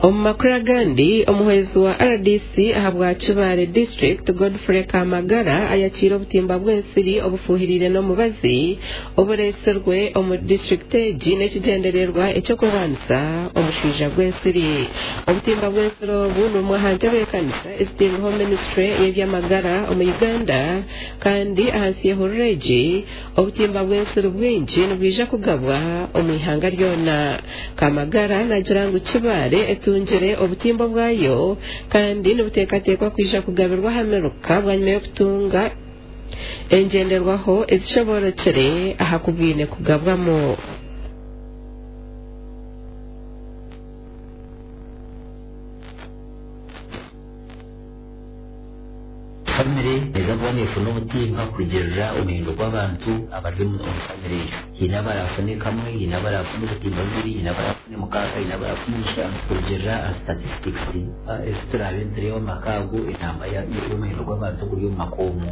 Omu makuru agandi, omuhwezi wa RDC ahabwa Kibaale District, Godfrey Kamagara ayakiire obutimba bw'ensiri obufuhiriire n'omubazi obureetsirwe omu disiturikiti egi n'ekigyendererwa eky'okurwanisa omushaija gw'ensiri. Obutimba bw'ensiri obu ni bumwe aha ntebeekanisa ezitairweho minisitule y'eby'amagara omu Uganda kandi ahansi y'ehururu egi, obutimba bw'ensiri bwingi nibwija kugabwa omu ihanga ryona. Kamagara naagira ngu Kibaale etungire obutimba obwayo kandi nibuteekateekwa kwija kugabirwa aha miruka bwanyima y'okutunga engyenderwaho ezishoboorokire aha ku bwine kugabwamu. Famire neeza kuba neefuna obutimba kurugiirira omuhendo gw'abantu abari omu famire egyo. Haine abaraafune kamwe, haine abaraafune obutimba bubiri, haine abaraafune mukaaga, haine abaraafune mushanju kurugiirira aha statistics ezi turaabe nitureeba omu maka ago enamba y'omuhendo gw'abantu oguri omu maka omwo.